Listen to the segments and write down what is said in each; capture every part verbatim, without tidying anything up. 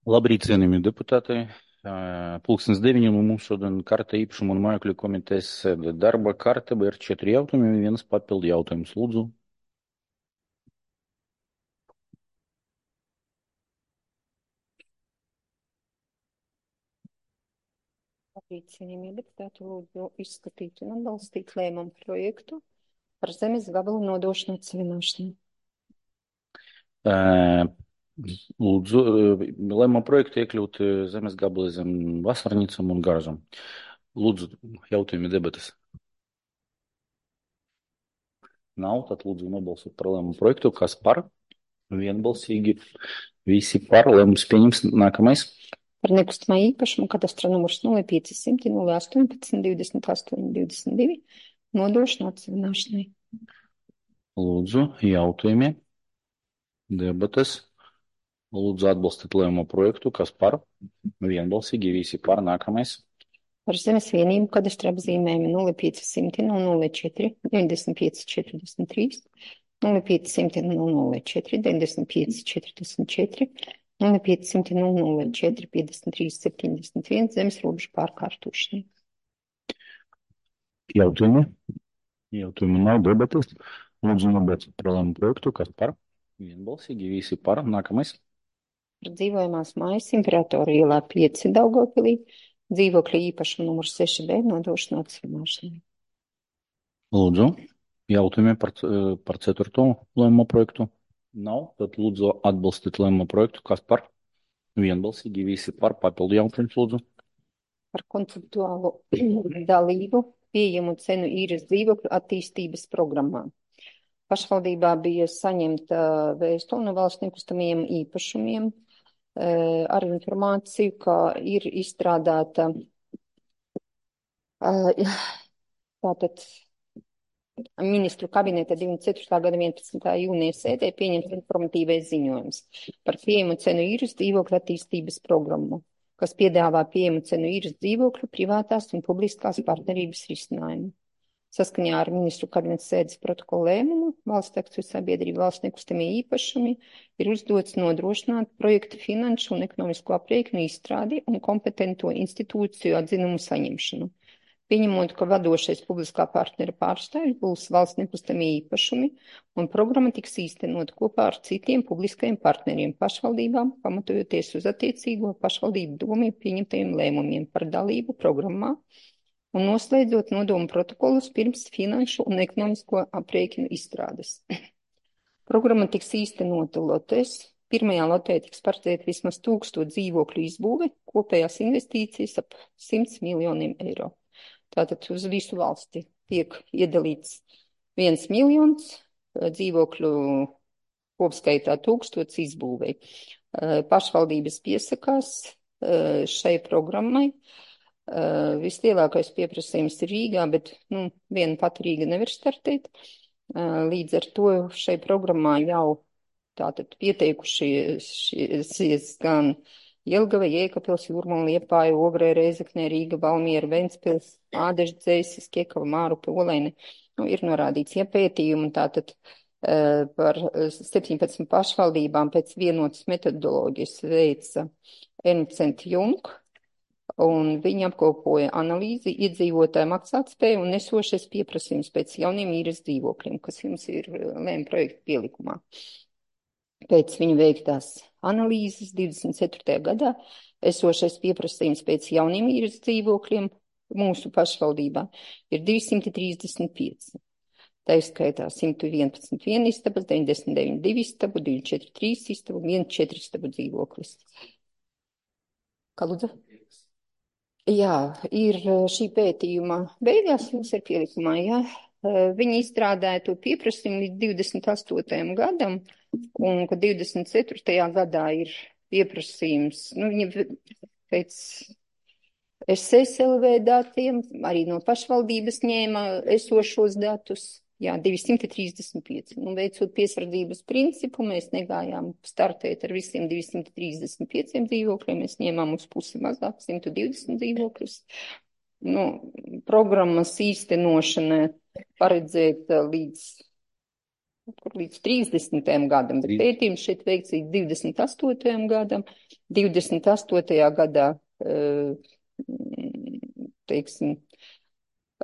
Labrīt, cienījamie deputāti. Pulkstens deviņiem un mums šodien karta īpašuma un mājokļu komitejas sēde. Darba kārtība ir četri jautājumi un viens papildu jautājums. Lūdzu. Labrīt, cienījamie deputāti, lūdzu izskatīt un atbalstīt lēmumu projektu par zemes gabalu nodošanu atsevināšanai. Lūdzu, lēmuma projektu iekļūt zemes gabali zem vasarnīcam un garažam. Lūdzu, jautājumi debatas. Nav, tad lūdzu nobalsot par lēmumu projektu. Kas par? Vienbalsīgi. Visi par. Lēmums pieņems. Nākamais. Par nekustamā īpašumu kadastra numurs nulle pieci simti nulle astoņpadsmit divdesmit astoņi divdesmit divi nodošanu atsevināšanai. Lūdzu, jautājumi. Debatas. Lūdzu, atbalstīt lēmumu projektu. Kas par? Vienbalsīgi. Visi par. Nākamais. Par zemes vienību kadastra apzīmējumu nulle pieci simti nulle četri deviņdesmit pieci četrdesmit trīs, nulle pieci simti nulle četri deviņdesmit pieci četrdesmit četri, nulle pieci simti nulle četri piecdesmit trīs septiņdesmit viens zemes robežu pārkārtošanai. Jautājumi? Jautājumi nav, debatas. Lūdzu, nobalsot par lēmumu projektu. Kas par? Vienbalsīgi. Visi par. Nākamais. Par dzīvojamās mājas Imperatora ielā pieci Daugavpilī dzīvokļa īpašuma numurs seši B nodošanu atsevināšanai. Lūdzu, jautājumi par, par ceturto lēmumu projektu? Nav, tad lūdzu atbalstīt lēmumu projektu. Kas par? Vienbalsīgi. Visi par. Papildu jautājums, lūdzu. Par konceptuālu dalību pieejamu cenu īres dzīvokļu attīstības programmā. Pašvaldībā bija saņemta vēstule no valsts nekustamajiem īpašumiem ar informāciju, ka ir izstrādāta tātad ministru kabineta divdesmit ceturtā gada vienpadsmitā jūnija sēdē pieņemts informatīvais ziņojums par pieejamu cenu īres dzīvokļu attīstības programmu, kas piedāvā pieejamu cenu īres dzīvokļu privātās un publiskās partnerības risinājumu. Saskaņā ar ministru kabineta sēdes protokolu lēmumu valsts akciju sabiedrība valsts nekustamie īpašumi ir uzdots nodrošināt projektu finanšu un ekonomisko aprēķinu izstrādi un kompetento institūciju atzinumu saņemšanu. Pieņemot, ka vadošais publiskā partnera pārstāvjs būs valsts nekustamie īpašumi un programma tiks īstenot kopā ar citiem publiskajiem partneriem pašvaldībām, pamatojoties uz attiecīgo pašvaldību domu pieņemtajiem lēmumiem par dalību programmā un noslēdzot nodomu protokolus pirms finanšu un ekonomisko aprēķinu izstrādes. Programma tiks īstenota lotēs. Pirmajā lotē tiks paredzēta vismaz tūkstoš dzīvokļu izbūve, kopējās investīcijas ap simts miljoniem eiro. Tātad uz visu valsti tiek iedalīts viens miljons dzīvokļu kopskaitā tūkstots izbūvei. Pašvaldības piesakās šai programmai. Uh, vislielākais pieprasījums ir Rīgā, bet nu, viena pati Rīga nevar startēt. Uh, līdz ar to šai programmā jau tātad pieteikušies gan Jelgava, Jēkabpils, Jūrmala, Liepāja, Ogrē, Rēzeknē, Rīga, Valmiera, Ventspils, Ādeša, Dzeisis, Kiekava, Mārupe, Oleine. Nu, ir norādīts iepētījumi tātad uh, par septiņpadsmit pašvaldībām pēc vienotas metodoloģijas veica Ernsts and Young. Un viņi apkopoja analīzi iedzīvotāju maksātspēju un nesošais pieprasījums pēc jauniem īres dzīvokļiem, kas jums ir lēmuma projekta pielikumā. Pēc viņu veiktās analīzes divdesmit ceturtajā gadā esošais pieprasījums pēc jauniem īres dzīvokļiem mūsu pašvaldībā ir divsimt trīsdesmit pieci. Tā izskaitā simt vienpadsmit viena istaba, deviņdesmit deviņi divi istabu, divi četri trīs istabu, viens četri istabu dzīvoklis. Kā lūdzu? Jā, ir šī pētījuma beigās, jums ir pielikumā, jā. Viņi izstrādāja to pieprasījumu līdz divdesmit astotajam gadam, un ka divdesmit ceturtajā gadā ir pieprasījums, nu, viņi pēc S S L V datiem, arī no pašvaldības ņēma esošos datus. Jā, divsimt trīsdesmit pieci. Nu, veicot piesardzības principu, mēs negājām startēt ar visiem divsimt trīsdesmit pieciem dzīvokļiem, mēs ņēmām uz pusi mazāk, simt divdesmit dzīvokļus. Nu, programmas īstenošana paredzēta līdz kur līdz trīsdesmitajam gadam, bet Trīs- pētījums šeit veikts līdz divdesmit astotajam gadam. divdesmit astotajā gadā, eh, teiksim,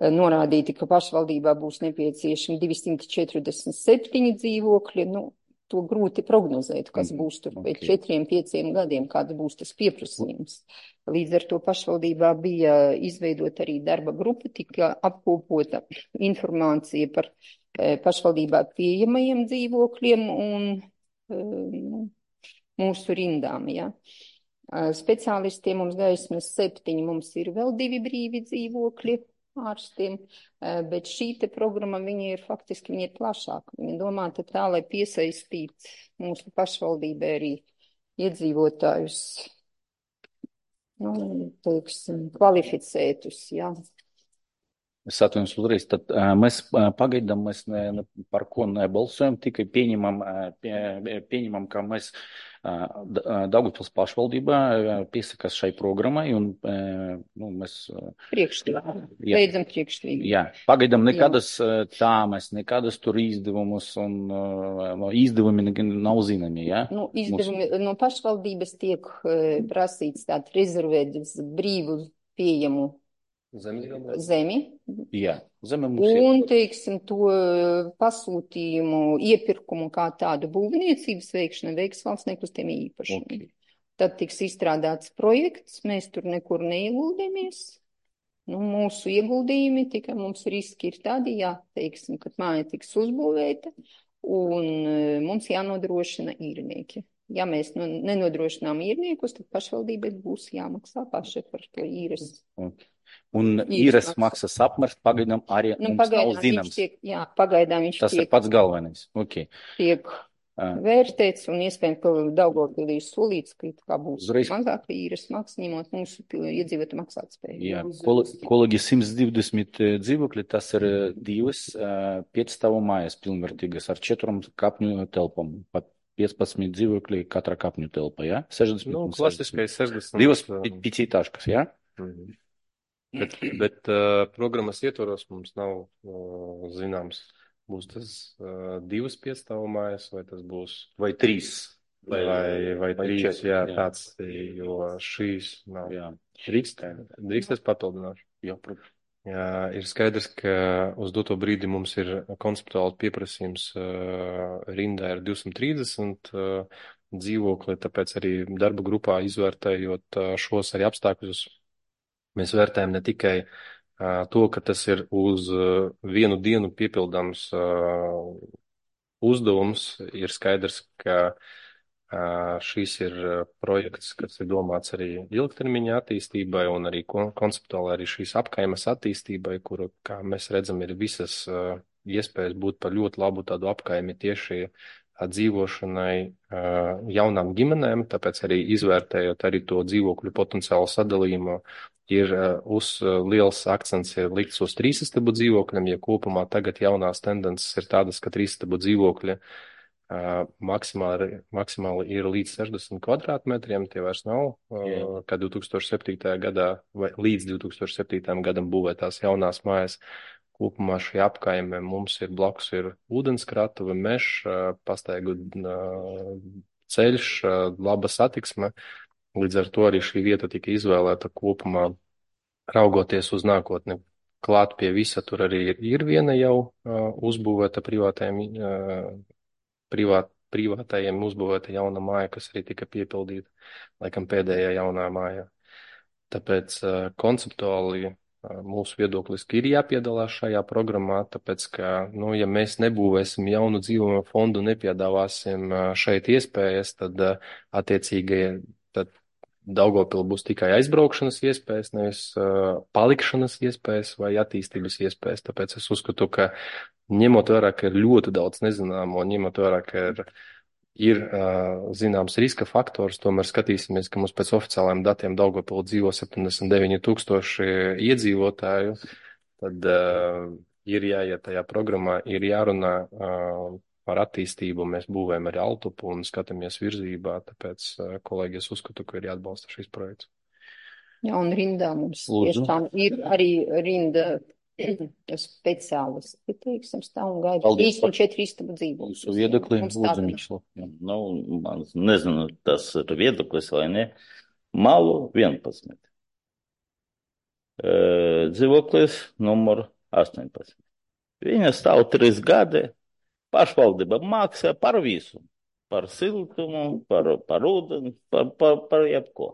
eh, norādīti, ka pašvaldībā būs nepieciešami divsimt četrdesmit septiņi dzīvokļi. Nu, to grūti prognozēt, kas Mhm, būs tur pēc ok. četriem, pieciem gadiem, kāds būs tas pieprasījums. Līdz ar to pašvaldībā bija izveidota arī darba grupa, tika apkopota informācija par eh, pašvaldībā pieejamajiem dzīvokļiem un eh, mūsu rindām, ja. Eh, Speciālistiem mums gaismas septiņi, mums ir vēl divi brīvi dzīvokļi ārstiem, eh, bet šī te programma, viņa ir faktiski, viņa ir plašāka. Viņa domāta tā, lai piesaistītu mūsu pašvaldībai arī iedzīvotājus, nu, teiksim, kvalificētus, jā. Es atvainojos uzreiz, tad uh, mēs uh, pagaidām mēs ne, ne par ko nebalsojam, tikai pieņemam, uh, pie, pieņemam, ka mēs uh, D- uh, Daugavpils pašvaldībā uh, piesakās šai programmai un uh, nu, mēs. Uh, Priekšstīvā. jā, Beidzam priekšstīvā. jā, pagaidām nekādas uh, tāmas, nekādas tur izdevumus un uh, no izdevumi ne- nav zināmi, jā? Nu, Mums, izdevumi no pašvaldības tiek eh, prasīts tātad rezervēt uz brīvu pieejamu zemi. jā, zeme mums ir. Un, teiksim, to eh, pasūtījumu, iepirkumu kā tādu būvniecības veikšanu veiks valsts nekustamie īpašumi. Okay. Tad tiks izstrādāts projekts, mēs tur nekur neieguldīmies. Nu, mūsu ieguldījumi tikai mums riski ir tādi, jā, teiksim, kad māja tiks uzbūvēta un eh, mums jānodrošina īrnieki. Ja mēs nu, nenodrošinām īrniekus, tad pašvaldībai būs jāmaksā paši par to īres. Okay. Un Īres īres maksas. maksas apmērs pagaidām arī Nu, mums nav pagaidām viņš zināms. tiek, jā, pagaidām viņš Tas ir tiek, pats galvenais. Okay. tiek Uh, vērtēts un iespējams, ka Daugavpilī solīts, ka it kā būs Uzreiz. mazāk īres maksas, ņemot mūsu pil- iedzīvotu maksātspēju. jā, kol- kolēģi simts divdesmit dzīvokļi, tas ir eh, divas uh, piecstāvu mājas pilnvērtīgas ar četrām kapņu telpām. Pa piecpadsmit dzīvokļi katra kapņu telpa, jā? sešdesmit Nu, un klasiskais sešdesmit. Divas uh, pi- piecītāškas, jā? mhm. Bet, bet uh, programmas ietvaros mums nav uh, zināms, būs tas uh, divas piestāvu mājas, vai tas būs, Vai trīs. vai, vai, vai trīs, četri, jā, jā. tāds, jo šīs nav. Jā. Drīkst? Drīkst es papildināšu. Jā, protams. Jā, ir skaidrs, ka uz doto brīdi mums ir konceptuāli pieprasījums uh, rindā ir divsimt trīsdesmit uh, dzīvokli, tāpēc arī darba grupā izvērtējot uh, šos arī apstākļus, mēs vērtējam ne tikai uh, to, ka tas ir uz uh, vienu dienu piepildāms uh, uzdevums, ir skaidrs, ka uh, šis ir uh, projekts, kas ir domāts arī ilgtermiņa attīstībai un arī kon konceptuāli arī šīs apkaimes attīstībai, kuru, kā mēs redzam, ir visas uh, iespējas būt par ļoti labu tādu apkaimi tieši uh, dzīvošanai uh, jaunām ģimenēm, tāpēc arī izvērtējot arī to dzīvokļu potenciālu sadalījumu, ir uh, uz uh, liels akcents ir likts uz trīsistabu dzīvokļiem, ja kopumā tagad jaunās tendences ir tādas, ka trīsistabu dzīvokļi uh, maksimāli, maksimāli ir līdz sešdesmit kvadrātmetriem, tie vairs nav, uh, Jā. kā divs tūkstoši septītajā gadā vai līdz divs tūkstoši septītajam gadam būvētās jaunās mājas. Kopumā šī apkaime mums ir blakus ir ūdenskratuve, mežs, uh, pastaigu uh, ceļš, uh, laba satiksme. Līdz ar to arī šī vieta tika izvēlēta kopumā, raugoties uz nākotni. Klāt pie visa tur arī ir, ir viena jau uh, uzbūvēta privātajiem, uh, privāt, privātajiem uzbūvēta jauna māja, kas arī tika piepildīta, laikam pēdējā jaunā māja. Tāpēc uh, konceptuāli uh, mūsu viedoklis ir jāpiedalās šajā programmā, tāpēc, ka, nu, ja mēs nebūvēsim jaunu dzīvojamo fondu, nepiedāvāsim uh, šeit iespējas, tad uh, attiecīgi tad Daugavpilī būs tikai aizbraukšanas iespējas, nevis uh, palikšanas iespējas vai attīstības iespējas. Tāpēc es uzskatu, ka ņemot vērā, ka ir ļoti daudz nezināmo, ņemot vērā, ka ir, ir uh, zināms riska faktors, tomēr skatīsimies, ka mums pēc oficiālajiem datiem Daugavpilī dzīvo septiņdesmit deviņi tūkstoši iedzīvotāju, tad uh, ir jāiet tajā programmā, ir jārunā uh, par attīstību, mēs būvējam arī Altupu un skatāmies virzībā, tāpēc, kolēģi, es uzskatu, ka ir jāatbalsta šis projekts. Jā, un rindā mums Lūdzu. tiešām ir arī rinda Speciālisti, teiksim, stāv un gaida. Paldies Trīs par un četri istabu dzīvokļus. jūsu viedokli, Mums lūdzu, tāda nav. Mišlo. Jā. Nu, man nezinu, tas ir viedoklis vai ne. Malu vienpadsmit. E, dzīvoklis numur astoņpadsmit. Viņa stāv trīs gadi. Pašvaldība maksā par visu. Par siltumu, par, par ūdeni, par, par, par jebko.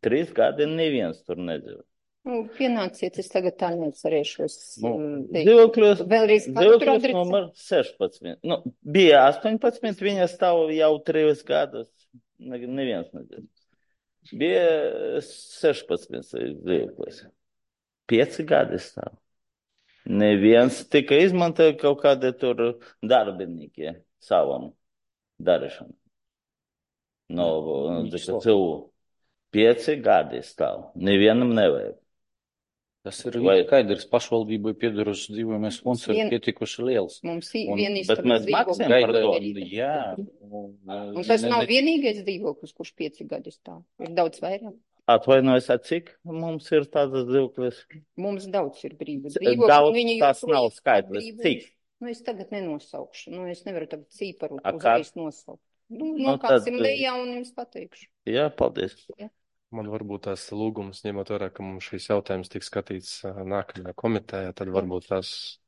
Trīs gadi neviens tur nedzīvo. Nu, pienāciet, es tagad tā neatcerēšos. Nu, mm, teikt. dzīvoklis, Vēlreiz katru dzīvoklis adresi. numur sešpadsmit. Nu, bija astoņpadsmit, viņa stāv jau trīs gadus. Ne- Neviens nedzīvo. Bija sešpadsmit dzīvoklis. Pieci gadi stāv. Neviens tika izmantoja kaut kādi tur darbinieki savam darīšanai. No, no cilvēku. Pieci gadi stāv. Nevienam nevajag. Tas ir Vai- skaidrs, pašvaldībai piedarošs dzīvojamais fonds ir Vien- pietikuši liels. Mums ir Un- viena bet istaba mēs dzīvokļa. maksājam par Gaida, to. jā. Un tas nav vienīgais dzīvoklis, kurš pieci gadi stāv. Ir daudz vairāk. Atvainojos, ar cik mums ir tādas dzīvoklis? Mums daudz ir brīvi C- dzīvokļi. daudz un viņi tas joprojām nav stāv skaidrs. brīvi. Cik? Nu, es tagad nenosaukšu. Nu, es nevaru tagad cīparu A, uzreiz nosaukt. Nu, Nu, nokāpsim tad- lejā un jums pateikšu. Jā, paldies. Man varbūt tās lūgums, ņemot vērā, ka mums šīs jautājums tiks skatīts ā, nākamajā komitejā, tad varbūt tās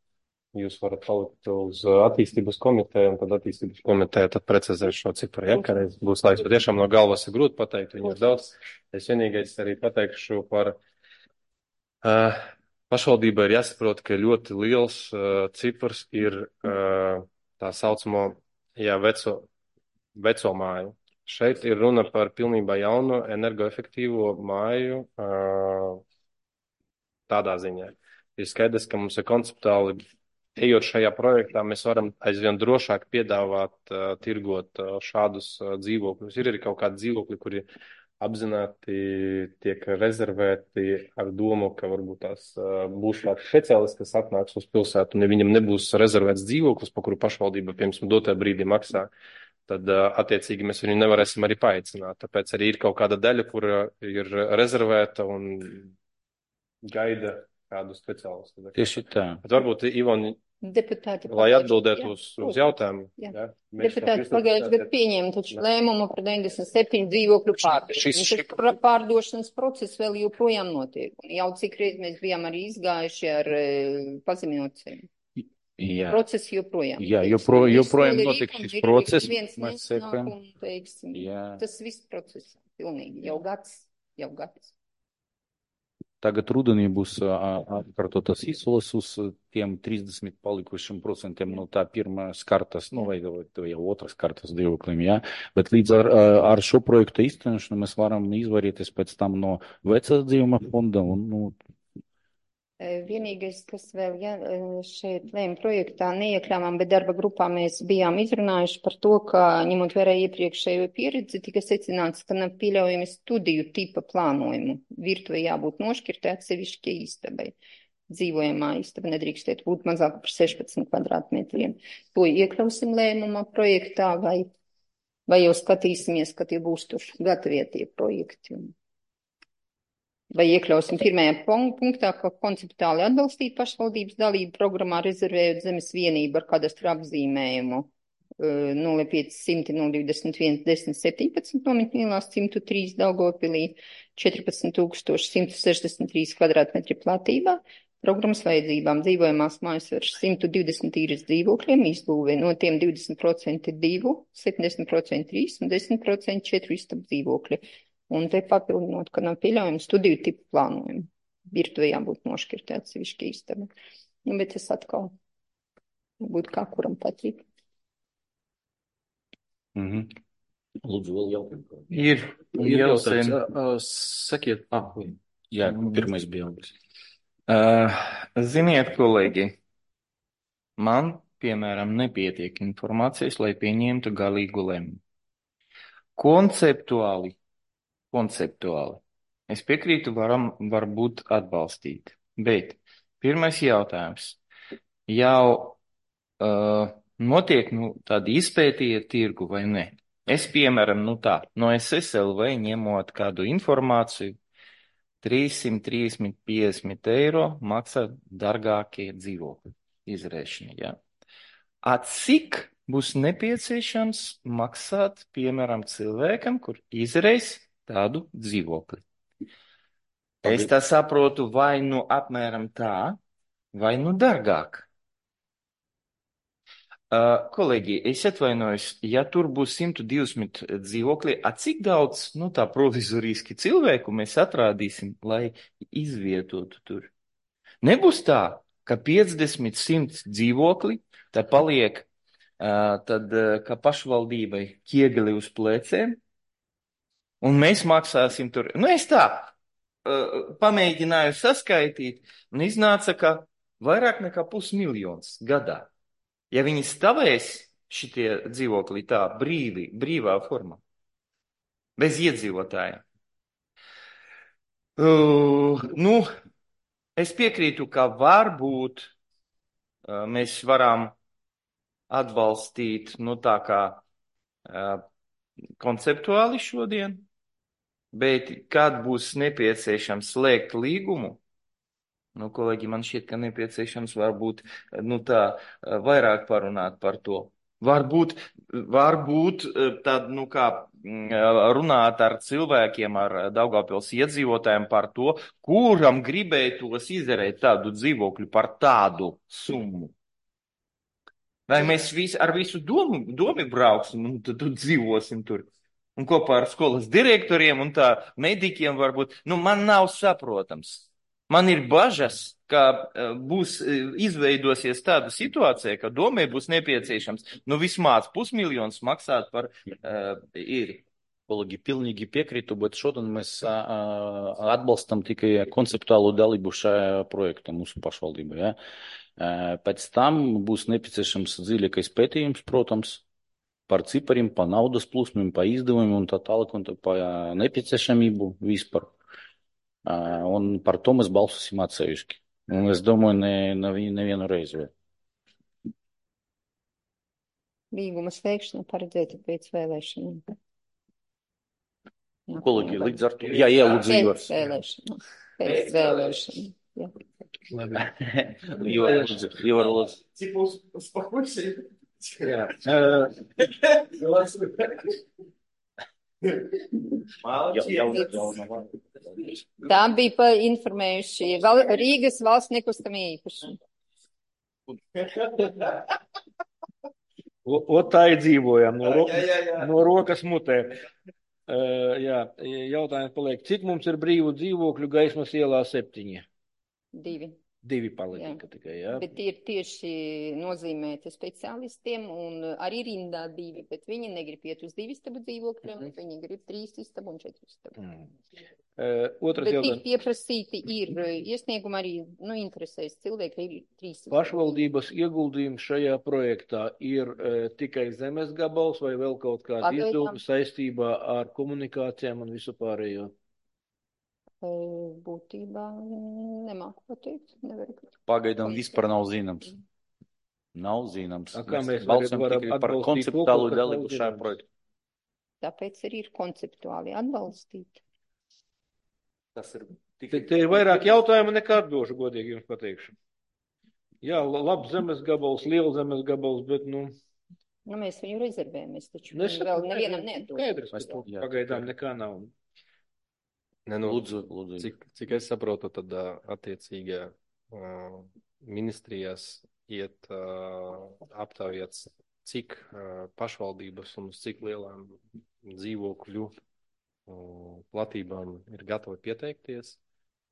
jūs varat palikt uz ā, attīstības komiteju, un tad attīstības komiteja tad precizēs šo ciparu, ja, ka reiz būs laiks. Patiešām no galvas ir grūti pateikt, viņu ir daudz. Es vienīgais arī pateikšu par uh, pašvaldībai ir jāsaprot, ka ļoti liels uh, cipars ir uh, tā saucamo, jā, veco, veco māju. Šeit ir runa par pilnībā jaunu energoefektīvo māju ā, tādā ziņā. Ir skaidrs, ka mums ir konceptuāli, ejot šajā projektā, mēs varam aizvien drošāk piedāvāt, ā, tirgot ā, šādus ā, dzīvokļus. Ir arī kaut kādi dzīvokļi, kuri apzināti tiek rezervēti ar domu, ka varbūt tās ā, būs kāds speciālists, kas atnāks uz pilsētu, un ja viņam nebūs rezervēts dzīvoklis, pa kuru pašvaldība, piemēram, dotajā brīdī maksā, tad uh, attiecīgi mēs viņu nevarēsim arī paaicināt. Tāpēc arī ir kaut kāda daļa, kura ir rezervēta un gaida kādu speciālistu. Tieši tā. Bet varbūt, Ivoni, Deputāti. lai pagājuši- atbildētu jā, uz, uz lūdzu. jautājumu. Jā. Ja? Mēs Deputāti tā pagājušajā gadā pieņēma taču lēmumu par deviņdesmit septiņu dzīvokļu pārdošanu. šis- Un tas pra- pārdošanas process vēl joprojām notiek. Un jau cik reiz mēs bijām arī izgājuši ar e, pazeminocēm. Jā. Process joprojām. Jā, notiek. jopro- Viss joprojām vēl ir notiek rīkums, šis ir process, viens mēs nesnāk sekojam. un, teiksim, Jā. tas viss process. Pilnīgi. Jau gads. Jau gads. Tagad rudenī būs ā, atkārtotas izsoles uz ā, tiem trīsdesmit palikušiem procentiem no tā pirmās kartas, nu vai, vai jau otras kartas dzīvoklim, jā. Bet līdz ar, ā, ar šo projektu īstenošanu mēs varam izvairīties pēc tam no vecā dzīvuma fonda un, nu, E, Vienīgais, kas vēl ja, e, šeit lēma projektā neiekļāvām, bet darba grupā mēs bijām izrunājuši par to, ka ņemot vērā iepriekšējo pieredzi, tika secināts, ka nav pieļaujami studiju tipa plānojumu. Virtuvē jābūt nošķirtē atsevišķi istabai. Dzīvojamā istaba nedrīkstētu būt mazāk par sešpadsmit kvadrātmetriem. To iekļausim lēmumā projektā vai, vai jau skatīsimies, ka tie būs tur gatavie tie projekti. Vai iekļausim pirmajā pun- punktā, ka konceptuāli atbalstīt pašvaldības dalību programmā, rezervējot zemes vienību ar kadastru apzīmējumu eh, nulle pieci simti nulle divdesmit viens desmit septiņpadsmit nometnīlās simts trīs Daugavpilī četrpadsmit tūkstoši simts sešdesmit trīs kvadrātmetri platībā. Programmas vajadzībām dzīvojamās mājas ar simts divdesmit īres dzīvokļiem izbūvē, no tiem divdesmit procenti divu, septiņdesmit procenti trīs un desmit procenti četru istabu dzīvokļi. Un te papildinot, ka nav pieļaujama studiju tipu plānojumu. Virtuvē jābūt nošķirtē atsevišķi istaba. Nu, bet es atkal būtu kā kuram patīk. mhm. Lūdzu, vēl jautājumu. Ir, Ir jau jautājums. sen. Uh, sakiet, ah, vai. Jā, pirmais bija Augurs. Uh, ziniet, kolēģi, man, piemēram, nepietiek informācijas, lai pieņemtu galīgu lēmumu. Konceptuāli, konceptuāli, es piekrītu, varam varbūt atbalstīt, bet pirmais jautājums. Jau uh, notiek, nu, tādi izpētīja tirgu vai ne? Es, piemēram, nu tā, no S S L V ņemot kādu informāciju, trīssimt trīsdesmit piecdesmit eiro maksā dārgākie dzīvokļi izrēšana, ja? A cik būs nepieciešams maksāt, piemēram, cilvēkam, kur izreis tādu dzīvokli? Es tā saprotu, vai nu apmēram tā, vai nu dārgāk. Uh, kolēģi, es atvainojos, ja tur būs simt divdesmit dzīvokļi, a cik daudz, nu tā provizoriski cilvēku mēs atrādīsim, lai izvietotu tur? Nebūs tā, ka piecdesmit, simt dzīvokļi, tā paliek, uh, tad, uh, ka pašvaldībai ķiegli uz pleciem, un mēs maksāsim tur. Nu, es tā uh, pamēģināju saskaitīt, un iznāca, ka vairāk nekā pusmiljons gadā. Ja viņi stāvēs šitie dzīvokļi tā brīvi, brīvā formā, bez iedzīvotājiem. Uh, nu, es piekrītu, ka varbūt uh, mēs varam atbalstīt, nu tā kā uh, konceptuāli šodien, bet kad būs nepieciešams slēgt līgumu, nu, kolēģi, man šķiet, ka nepieciešams varbūt, nu tā, vairāk parunāt par to. Varbūt, varbūt tad, nu kā, runāt ar cilvēkiem, ar Daugavpils iedzīvotājiem par to, kuram gribētos izdarīt tādu dzīvokļu par tādu summu. Vai mēs visi, ar visu domu, domu brauksim un tad dzīvosim tur. Un kopā ar skolas direktoriem un tā medikiem varbūt, nu man nav saprotams. Man ir bažas, ka uh, būs uh, izveidosies tāda situācija, ka domē būs nepieciešams, nu vismaz pusmiljons maksāt par uh, īri. Kolēģi, pilnīgi piekrītu, bet šodien mēs uh, atbalstam tikai konceptuālu dalību šajā projektā mūsu pašvaldībā. Ja? Uh, pēc tam būs nepieciešams dziļākais pētījums, protams, par cipariem, pa naudas plūsmiem, pa izdevumiem un tā tālāk, un tā pa nepieciešamību vispār. Uh, un par to mēs balsosim atsevišķi. Un es domāju, ne, ne, nevienu reizi vēl. Līguma slēgšana paredzēta pēc vēlēšanām. Kolēģi, līdz ar to. Jā, ielūdzu, Ivars. Pēc vēlēšanām. Pēc vēlēšanām. Jā. Ivar, lūdzu, Ivar, lūdzu. Cik mums spakuši? Jā. Tā bija pa informējuši val, Rīgas valsts nekustamie īpašumi. O tā ir dzīvojam no, ro Jā, jā, jā. no rokas mutē. Uh, jā, jautājums paliek, cik mums ir brīvu dzīvokļu Gaismas ielā septiņi? Divi. Divi palika tikai, jā. Bet tie ir tieši nozīmēti speciālistiem un arī rindā divi, bet viņi negrib iet uz divi istabu dzīvokļiem, mm. viņi grib trīs istabu un četru istabu. Mm. Uh, otrs bet jautājums. Bet pieprasīti ir iesniegumi arī, nu, interesēs cilvēki, ir trīs istabu. Pašvaldības ieguldījums šajā projektā ir uh, tikai zemes gabals vai vēl kaut kāda izdevuma saistībā ar komunikācijām un visu pārējo? Būtībā nemāku pateikt, nevaru pateikt. Pagaidām vispār nav zināms. Nav zināms. A, kā mēs balsam varam tikai par atbalstīt konceptuālu to, dalību šajā projektā. Tāpēc arī ir konceptuāli atbalstīt. Tas ir Te, te ir vairāk jautājumu nekā atbilžu, godīgi jums pateikšu. Jā, labs zemes gabals, liela zemes gabals, bet, nu... Nu, mēs viņu rezervējamies, taču Nu, es vēl saprotu, nevienam neatdos. Skaidrs, pagaidām nekā nav. Ne, nu, lūdzu, lūdzu. Cik, cik es saprotu, tad uh, attiecīgi uh, ministrijās iet uh, aptaujāt, cik uh, pašvaldības un uz cik lielām dzīvokļu uh, platībām ir gatavi pieteikties,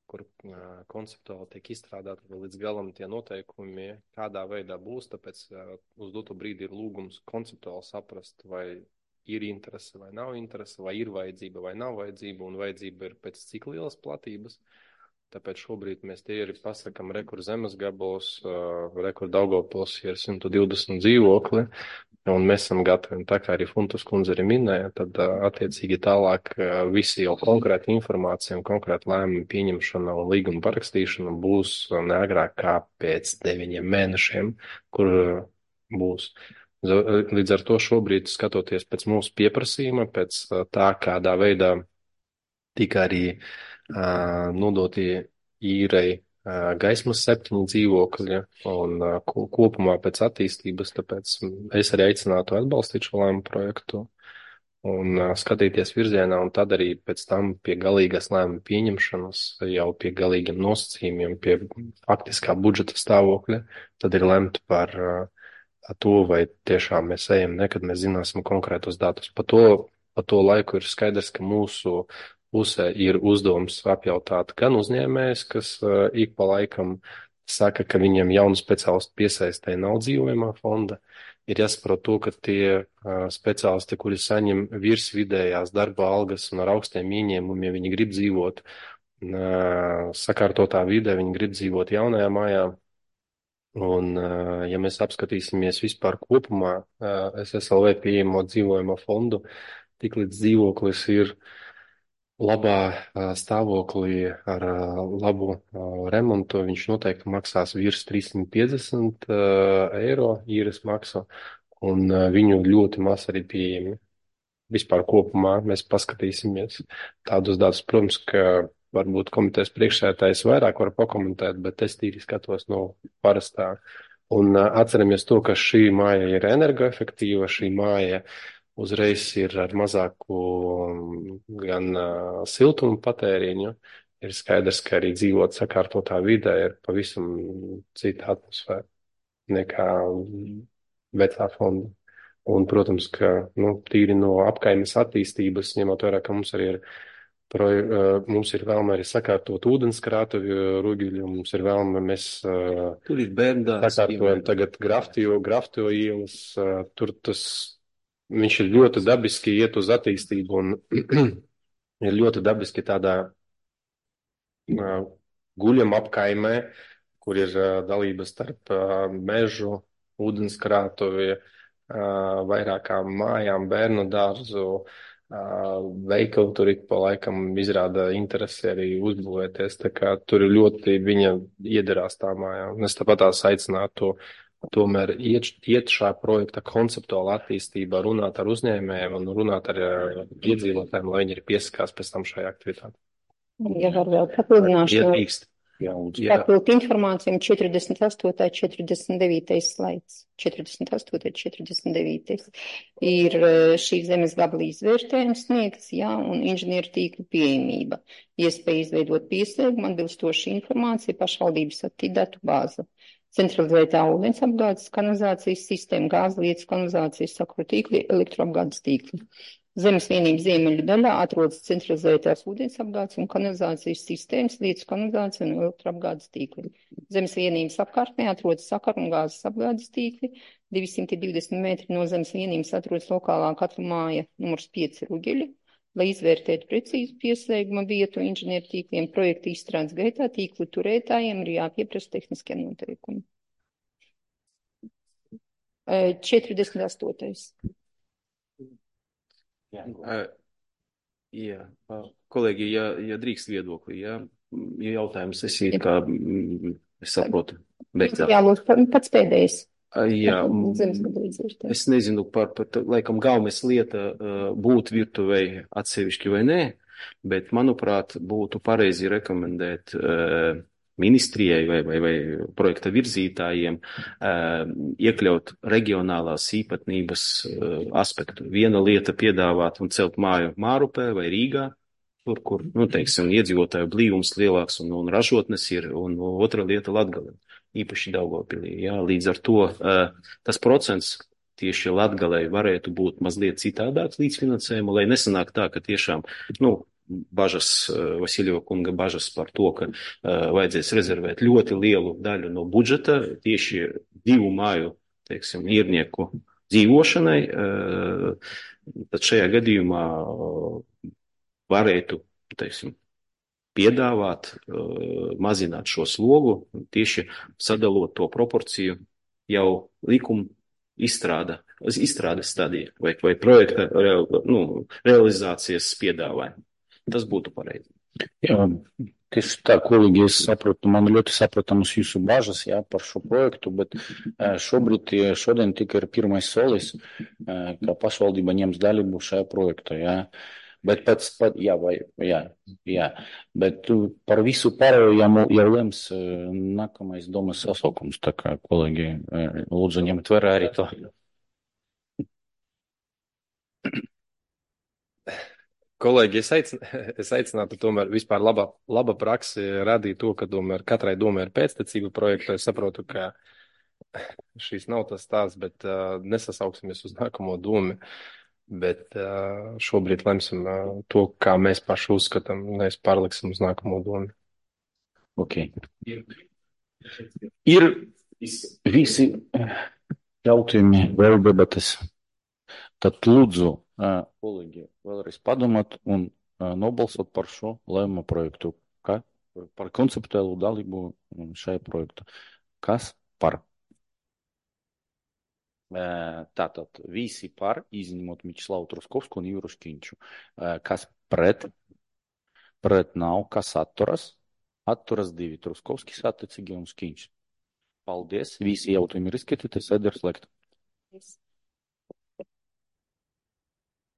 kur uh, konceptuāli tiek izstrādāti līdz galam tie noteikumi, kādā veidā būs, tāpēc uh, uz doto brīdi ir lūgums konceptuāli saprast, vai ir interese vai nav interese, vai ir vajadzība vai nav vajadzība, un vajadzība ir pēc cik lielas platības. Tāpēc šobrīd mēs tie arī pasakam rekur zemes gabalos, uh, rekur Daugavpils ir simt divdesmit dzīvokli, un mēs esam gatavi, un tā kā arī Funtas kundze arī minēja, tad uh, attiecīgi tālāk uh, visi jau konkrēta informācija un konkrēta lēmuma pieņemšana un līguma parakstīšana būs uh, neagrāk kā pēc deviņiem mēnešiem, kur uh, būs. Līdz ar to šobrīd, skatoties pēc mūsu pieprasījuma, pēc tā, kādā veidā tika arī nodotie īrei gaismas septiņi dzīvokļi un kopumā pēc attīstības, tāpēc es arī aicinātu atbalstīt šo lēmumu projektu un skatīties virzienā, un tad arī pēc tam pie galīgās lēmuma pieņemšanas, jau pie galīgiem nosacījumiem, pie faktiskā budžeta stāvokļa, tad ir lemt par to, vai tiešām mēs ejam, ne, kad mēs zināsim konkrētos datus. Pa to, pa to laiku ir skaidrs, ka mūsu pusē ir uzdevums apjautāt gan uzņēmējs, kas uh, ik pa laikam saka, ka viņiem jaunu speciālistu piesaistē nav dzīvojamā fonda. Ir jāsaprot to, ka tie uh, speciālisti, kuri saņem virs vidējās darba algas un ar augstiem ieņēmumiem, viņi grib dzīvot uh, sakārtotā vidē, viņi grib dzīvot jaunajā mājā. Un, uh, ja mēs apskatīsimies vispār kopumā uh, S S L V pieejamo dzīvojamo fondu, tik līdz dzīvoklis ir labā stāvoklī ar labu remontu, viņš noteikti maksās virs trīssimt piecdesmit eiro īres maksu, un viņu ļoti maz arī pieejami. Vispār kopumā mēs paskatīsimies tādus datus. Protams, ka varbūt komitejas priekšsēdētājs vairāk var pakomentēt, bet es tīri skatos no parastā. Un atceramies to, ka šī māja ir energoefektīva, šī māja uzreiz ir ar mazāku gan uh, siltumu patēriņu. Ir skaidrs, ka arī dzīvot sakārtotā vidē ir pavisam cita atmosfēra nekā vecā fonda. Un, protams, ka nu, tīri no apkaimes attīstības, ņemot vērā, ka mums arī ir, pro, uh, mums ir vēlme arī sakārtot ūdenskrātuvi Rugļu, mums ir vēlme, mēs uh, tur ir bērndārs, sakārtojam tagad Graftio, Graftio ielas, uh, tur tas viņš ir ļoti dabiski iet uz attīstību un ir ļoti dabiski tādā uh, guļam apkaimē, kur ir uh, dalības starp uh, mežu, ūdenskrātuvi, uh, vairākām mājām, bērnu dārzu, uh, veikalu tur ik pa laikam izrāda interesi arī uzbūvēties, tā kā tur ir ļoti viņa iederās tā mājā. Un es tāpat tās aicinātu tomēr iet, iet šā projekta konceptuāla attīstībā, runāt ar uzņēmējiem un runāt ar uh, iedzīvotājiem, lai viņi ir piesakās pēc tam šajā aktivitātē. Ja var vēl papildināšu. Iedrīkst. Jā, papildu informācijām četrdesmit astotais, četrdesmit devītais slaids. četrdesmit astotais, četrdesmit devītais ir šī zemes gabala izvērtējums sniegts, jā, un inženieru tīkla pieejamība. Iespēja izveidot pieslēgumu, atbilstoši informācija, pašvaldības attīdatu bāza. Centralizētā ūdens apgādes, kanalizācijas sistēma, gāzlietas, kanalizācijas sakru tīkli, elektroapgādes tīkli. Zemes vienības ziemeļu daļā atrodas centralizētās ūdens apgādes un kanalizācijas sistēmas, lietas kanalizācija un elektroapgādes tīkli. Zemes vienības apkārtnē atrodas sakaru un gāzes apgādes tīkli. divsimt divdesmit metri no zemes vienības atrodas lokālā katla māja numurs pieci Rugeļi. Lai izvērtētu precīzu pieslēguma vietu inženieru tīkliem, projekta izstrādes gaitā tīklu turētājiem ir jāpieprasa tehniskie noteikumi. četrdesmit astotais. Jā, jā. Kolēģi, ja, ja drīkst viedokli, ja, ja jautājums es it kā, es saprotu, beigtā. Jā, lūdzu, pats pēdējais. Jā, es nezinu par, par laikam galvenais lieta būt virtuvei atsevišķi vai nē, bet, manuprāt, būtu pareizi rekomendēt ministrijai vai, vai, vai projekta virzītājiem iekļaut reģionālās īpatnības aspektu. Viena lieta piedāvāt un celt māju Mārupē vai Rīgā, tur, kur, nu, teiksim, iedzīvotāju blīvums lielāks un, un ražotnes ir, un otra lieta Latgale. Īpaši Daugavpilī, jā, līdz ar to uh, tas procents tieši Latgalei varētu būt mazliet citādāks līdzfinansējumu, lai nesanāk tā, ka tiešām, nu, bažas, uh, Vasiljo kunga bažas par to, ka uh, vajadzēs rezervēt ļoti lielu daļu no budžeta tieši divu māju, teiksim, īrnieku dzīvošanai, uh, tad šajā gadījumā uh, varētu, teiksim, piedāvāt, uh, mazināt šo slogu, tieši sadalot to proporciju jau likuma izstrāda, izstrādes stadija vai, vai projekta real, nu, realizācijas piedāvājuma. Tas būtu pareizi. Jā, tieši tā, kolēģi, es saprotu, man ļoti saprotamas jūsu bažas, jā, par šo projektu, bet šobrīd, šodien tika ir pirmais solis, ka pašvaldība ņems dalību šajā projektā, jā. Bet pats, pat, jā, vai, jā, jā, bet tu par visu pārējo jau, jau lems uh, nākamais domas sasaukums, tā kā kolēģi uh, lūdzu ņemt vērā arī to. Kolēģi, es, aicin, es aicinātu tomēr vispār laba, laba praksi radīt to, ka tomēr katrai domai ir pēctecība projekta. Es saprotu, ka šīs nav tas stāsts, bet uh, nesasauksimies uz nākamo domu. Bet uh, šobrīd lemsim uh, to, kā mēs paši uzskatām, nevis pārliksim uz nākamo domu. Ok. Ir visi jautājumi, vēl debates. Tad lūdzu, uh, kolēģi, vēlreiz padomāt un uh, nobalsot par šo lēmumu projektu. Kā? Par konceptuālu dalību šajā projektā. Kas par? Tātad visi par, izņemot Mičslavu Truskovsku un Jūru Škiņču. Kas pret? Pret nav. Kas atturas? Atturas divi. Truskovskis attiecīgi un Škiņš. Paldies. Visi jautājumi ir izskatīti. Sēde ir slēgta.